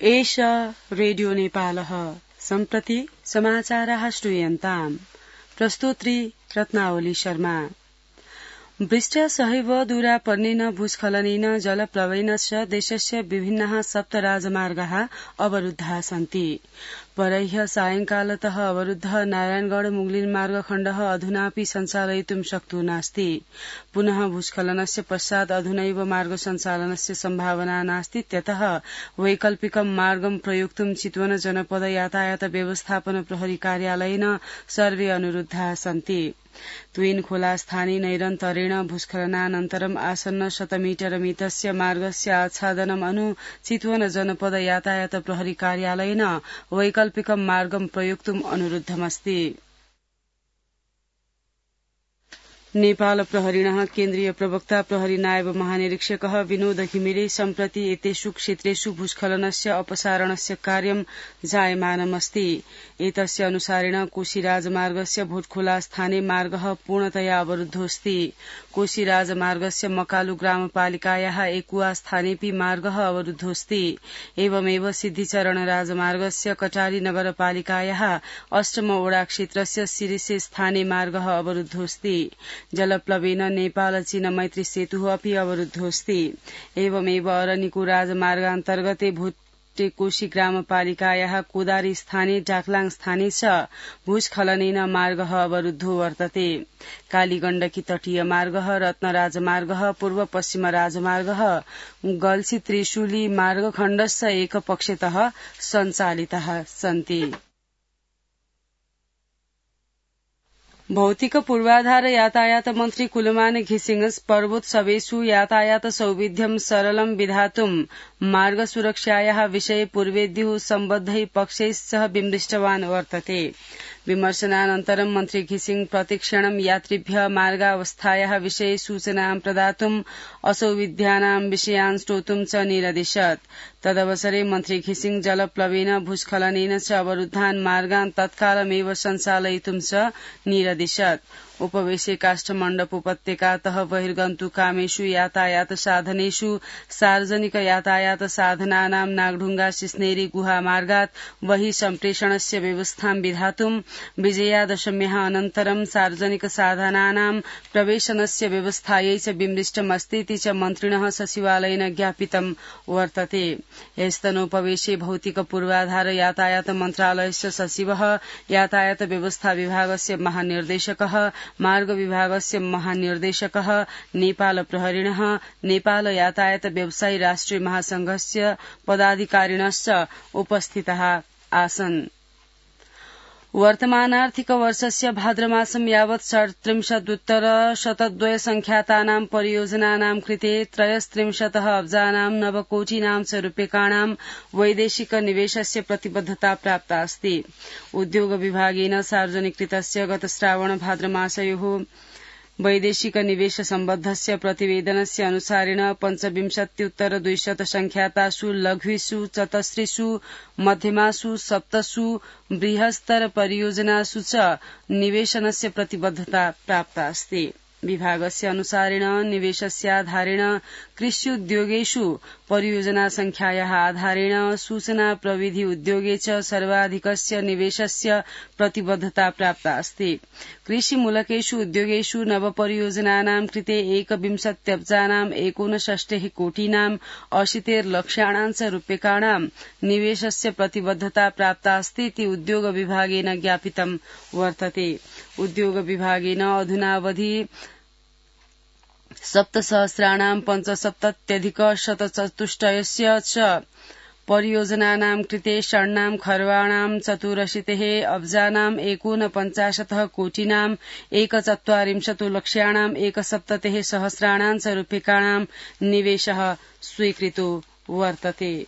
एष रेडियो नेपालः सम्प्रति समाचाराः श्रूयन्ताम्। प्रस्तोत्री रत्नावली शर्मा। वृष्ट सहैव दूरापर्णेन भूस्खलनेन जलप्लवेन च देशस्य विभिन्नाः 7 राजमार्गाः अवरुद्धाः सन्ति। परह्य सायंकालतः अवरुद्धः नारायणगढ़ मुगलिन मार्गखण्डः अधुनापि सञ्चालयितुं शक्तो नास्ति। पुनः भूस्खलनस्य पश्चात् अधुनैव मार्ग सञ्चालनस्य सम्भावना नास्तीत्यतः वैकल्पिकं मार्गं प्रयोक्तुं चितवन जनपद यातायात व्यवस्थापन प्रहरी कार्यालयेन सर्वे अनुरुद्धाः सन्ति। त्विन खोला स्थाने नैरन्तरेण भूस्खलनानन्तरम् आसन्न 100 मीटर मितस्य मार्गस्य आच्छादनम् अनु चितवन जनपद यातायात प्रहरी कार्यालयेन वैकल्पिकं मार्गं प्रयोक्तुम् अनुरुद्धमस्ति। नेपाल प्रहरिणः केन्द्रीय प्रवक्ता प्रहरी नायब महानिरीक्षकः विनोद घिमिरे सम्प्रति एतेषु क्षेत्रेषु भूस्खलनस्य अपसारणस्य कार्यं जायमानमस्ति। एतस्य अनुसारेण कोशी राजमार्गस्य भोटखोला स्थाने मार्गः पूर्णतया अवरुद्धोऽस्ति। कोशी राजमार्गस्य मकालु ग्रामपालिकायाः एकुवा स्थानेपि मार्गः अवरुद्धोऽस्ति। एवमेव सिद्धिचरण राजमार्गस्य कटारी नगरपालिकायाः अष्टम वडा क्षेत्रस्य सिरिसे स्थाने मार्गः अवरुद्धोऽस्ति। जलप्लवेन नेपाल चीन मैत्री सेतुः अपि अवरुद्धोऽस्ति। एवमेव अरनिको राजमार्गान्तर्गते भोटेकोशी ग्रामपालिकायाः कोदारी स्थाने डाक्लाङ स्थाने च भूस्खलनेन मार्गः अवरुद्धो वर्तते। कालीगण्डकी तटीय मार्गः रत्न राजमार्गः पूर्व पश्चिम राजमार्गः गल्सी त्रिशूली मार्गखण्डश्च एकपक्षतः सञ्चालिताः सन्ति। भौतिक पूर्वाधार यातायात मन्त्री कुलमान घिसिङ पर्वोत्सवेषु यातायात सौविध्यं सरलं विधातुं मार्ग सुरक्षायाः विषये पूर्वेद्युः सम्बद्धैः पक्षैः सह विमृष्टवान् वर्तते। विमर्शनानन्तरं मन्त्री घिसिङ प्रतिक्षणं यात्रिभ्यः मार्गावस्थायाः विषये सूचनां प्रदातुं असौविध्यानां विषयान् श्रोतुं च निरदिशत्। तदवसरे मन्त्री घिसिङ जलप्लवेन भूस्खलनेन च अवरुद्धान् मार्गान् तत्कालमेव सञ्चालयितुं च निरदिशत्। उपवेशे काष्ठमण्डप उपत्यकातः बहिर्गन्तुकामेषु यातायात साधनेषु सार्वजनिक यातायात साधनानां नागढुङ्गा सिस्नेरी गुहा मार्गात् बहिः सम्प्रेषणस्य व्यवस्थां विधातुं विजयादशम्याः अनन्तरं सार्वजनिक साधनानां प्रवेशनस्य व्यवस्थायै च विमृष्टमस्तीति च मन्त्रिणः सचिवालयेन ज्ञापितं वर्तते। ह्यस्तनोपवेशे भौतिक पूर्वाधार यातायात मन्त्रालयस्य सचिवः यातायात व्यवस्था विभागस्य महानिर्देशकः मार्ग विभागस्य महानिर्देशकः नेपाल प्रहरिणः नेपाल यातायात व्यवसायी राष्ट्रिय महासंघस्य पदाधिकारिणश्च उपस्थिताः आसन्। वर्तमानार्थिक वर्षस्य भाद्रमासं यावत् 37,102 संख्यातानां परियोजनानां कृते 33 अब्जानां नवकोटिनां च रूप्यकाणां वैदेशिक निवेशस्य प्रतिबद्धता प्राप्ता अस्ति। उद्योग विभागेन सार्वजनिकृतस्य गत श्रावण भाद्रमासयोः वैदेशिक निवेश सम्बद्धस्य प्रतिवेदनस्य अनुसारेण 25,200 संख्यातासु लघुषु 34 मध्यमासु 7 बृहत्तर परियोजनासु च निवेशनस्य प्रतिबद्धता प्राप्ता अस्ति। विभागस्य अनुसारेण निवेशस्याधारेण कृष्युद्योगेषु परियोजना संख्यायाः आधारेण सूचना प्रविधि उद्योगे च सर्वाधिकस्य निवेशस्य प्रतिबद्धता प्राप्ता अस्ति। कृषिमूलकेषु उद्योगेषु नवपरियोजनानां कृते 21 अब्जानां 69 कोटिनां 80 लक्षाणां च रूप्यकाणां निवेशस्य प्रतिबद्धता प्राप्ता अस्ति इति उद्योग विभागेन ज्ञापितं वर्तते। उद्योग विभागेन अधुनावधि 7,75,174 च परियोजनानां कृते षण्णां खर्वाणां 84 अब्जानां 49 कोटिनां 140 लक्ष्याणां 170 सहस्राणां च रूप्यकाणां निवेशः स्वीकृतो वर्तते।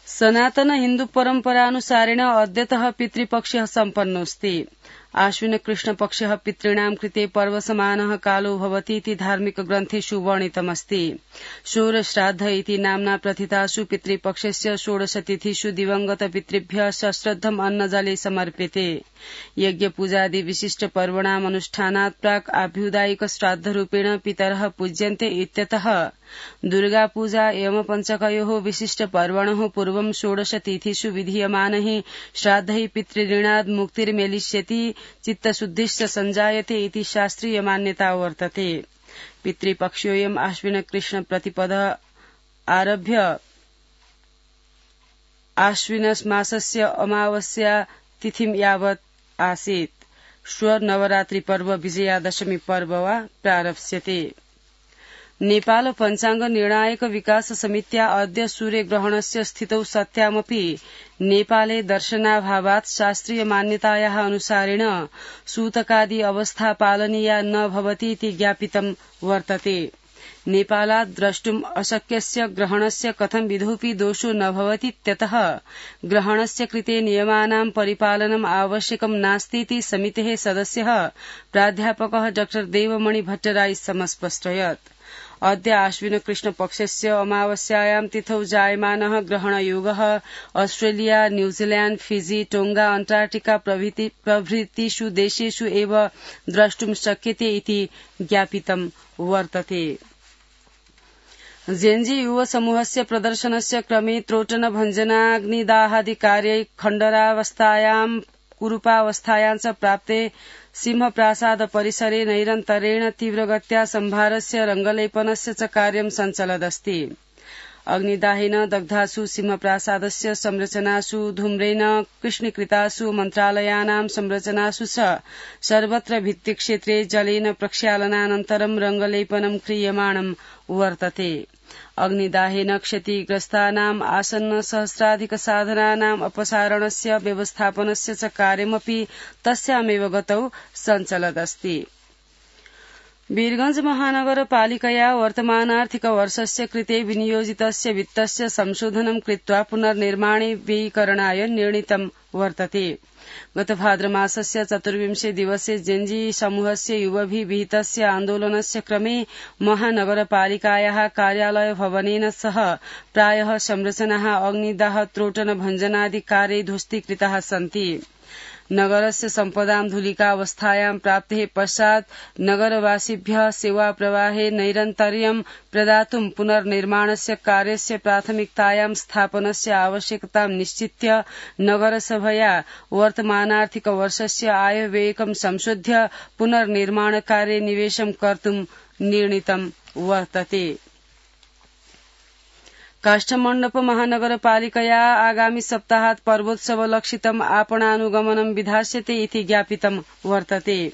सनातन हिन्दू परम्परानुसारेण अद्यतः पितृपक्षः सम्पन्नोऽस्ति। आश्विन कृष्ण पक्षः पितॄणां कृते पर्वसमानः कालो भवतीति धार्मिक ग्रन्थेषु वर्णितमस्ति। षोडश्राद्ध इति नाम्ना प्रथितासु पितृपक्षस्य 16 तिथिषु दिवंगत पितृभ्यः सश्रद्धम् अन्नजले समर्प्यते। यज्ञ पूजादि विशिष्ट पर्वणाम् अनुष्ठानात् प्राक् आभ्युदायिक श्राद्धरूपेण पितरः पूज्यन्ते इत्यतः दुर्गा पूजा एवं पञ्चकयोः विशिष्ट पर्वणः पूर्वं 16 तिथिषु विधीयमानैः श्राद्धैः पितृऋणाद् मुक्तिर्मेलिष्यति चित्तशुद्धिश्च सञ्जायते इति शास्त्रीय मान्यता वर्तते। पितृपक्षोऽयम् आश्विन कृष्ण प्रतिपदः आरभ्य आश्विन मासस्य अमावास्या तिथिं यावत् आसीत्। श्व नवरात्रि पर्व विजयादशमी पर्व वा प्रारप्स्यते। नेपाल पञ्चाङ्ग निर्णायक विकास समित्या अद्य सूर्यग्रहणस्य स्थितौ सत्यामपि नेपाले दर्शनाभावात् शास्त्रीय मान्यतायाः अनुसारेण सूतकादि अवस्था पालनीया न भवतीति ज्ञापितं वर्तते। नेपालात् द्रष्टुम् अशक्यस्य ग्रहणस्य कथं विधोऽपि दोषो न भवतीत्यतः ग्रहणस्य कृते नियमानां परिपालनम् आवश्यकं नास्तीति समितेः सदस्यः प्राध्यापकः डॉ देवमणि भट्टराई समस्पष्टयत्। अद्य आश्विन कृष्ण पक्षस्य अमावास्यायां तिथौ जायमानः ग्रहणयोगः Australia, New Zealand, Fiji, Tonga, Antarctica प्रभृतिषु देशेषु एव द्रष्टुं शक्यते इति ज्ञापितं वर्तते। जेएनजी युव समूहस्य प्रदर्शनस्य क्रमे त्रोटन भञ्जनाग्निदाहादि कार्यै खण्डरावस्थायां कुरूपावस्थायां च प्राप्ते सिंहप्रासाद परिसरे नैरन्तरेण तीव्रगत्या सम्भारस्य रङ्गलेपनस्य च कार्यं सञ्चलदस्ति। अग्निदाहेन दग्धासु सिंहप्रासादस्य संरचनासु धूम्रेण कृष्णीकृतासु मन्त्रालयानां संरचनासु च सर्वत्र भित्तिक्षेत्रे जलेन प्रक्षालनानन्तरं रङ्गलेपनं क्रियमाणं वर्तते। अग्निदाहेन क्षतिग्रस्तानाम् आसन्न सहस्राधिक साधनानाम् अपसारणस्य व्यवस्थापनस्य च कार्यमपि तस्यामेव गतौ सञ्चलदस्ति। वीरगंज महानगरपालिकया वर्तमानार्थिक वर्षस्य कृते विनियोजितस्य वित्तस्य संशोधनं कृत्वा पुनर्निर्माणे व्ययीकरणाय निर्णीतं वर्तते। गत भाद्रमासस्य 24 दिवसे जेएनजी समूहस्य युवभिः विहितस्य आन्दोलनस्य क्रमे महानगरपालिकायाः कार्यालय भवनेन सह प्रायः संरचनाः अग्निदाह त्रोटन भञ्जनादि कार्ये ध्वस्तीकृताः सन्ति। नगरस्य सम्पदां धूलिकावस्थायां प्राप्तेः पश्चात् नगरवासिभ्यः सेवाप्रवाहे नैरन्तर्यं प्रदातुं पुनर्निर्माणस्य कार्यस्य प्राथमिकतायां स्थापनस्य आवश्यकतां निश्चित्य नगरसभया वर्तमानार्थिक वर्षस्य आयव्ययकं संशोध्य पुनर्निर्माणकार्ये निवेशं कर्तुं निर्णीतं वर्तते। काष्ठमण्डप महानगरपालिकया आगामि सप्ताहात् पर्वोत्सवलक्षितम् आपणानुगमनं विधास्यते इति ज्ञापितं वर्तते।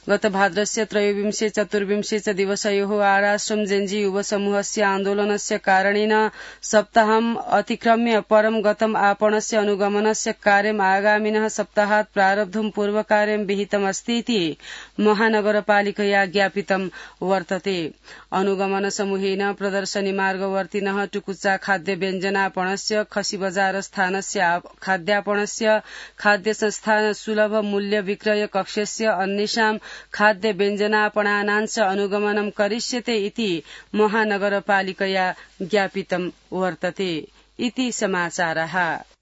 गत भाद्रस्य 23-24 च दिवसयोः आराश्रम जेएनजी युव समूहस्य आन्दोलनस्य कारणेन सप्ताहम् अतिक्रम्य परं गतम् आपणस्य अनुगमनस्य कार्यम् आगामिनः सप्ताहात् प्रारब्धुं पूर्वकार्यं विहितमस्तीति महानगरपालिकया ज्ञापितं वर्तते। अनुगमन समूहेन प्रदर्शनी मार्गवर्तिनः टुकुचा खाद्य व्यञ्जनापणस्य, खसी बजार स्थानस्य खाद्यापणस्य, खाद्य संस्थान सुलभ मूल्य विक्रय कक्षस्य अन्येषां खाद्य व्यञ्जनापणानां च अनुगमनं करिष्यते इति महानगरपालिकया ज्ञापितं वर्तते। इति समाचारः।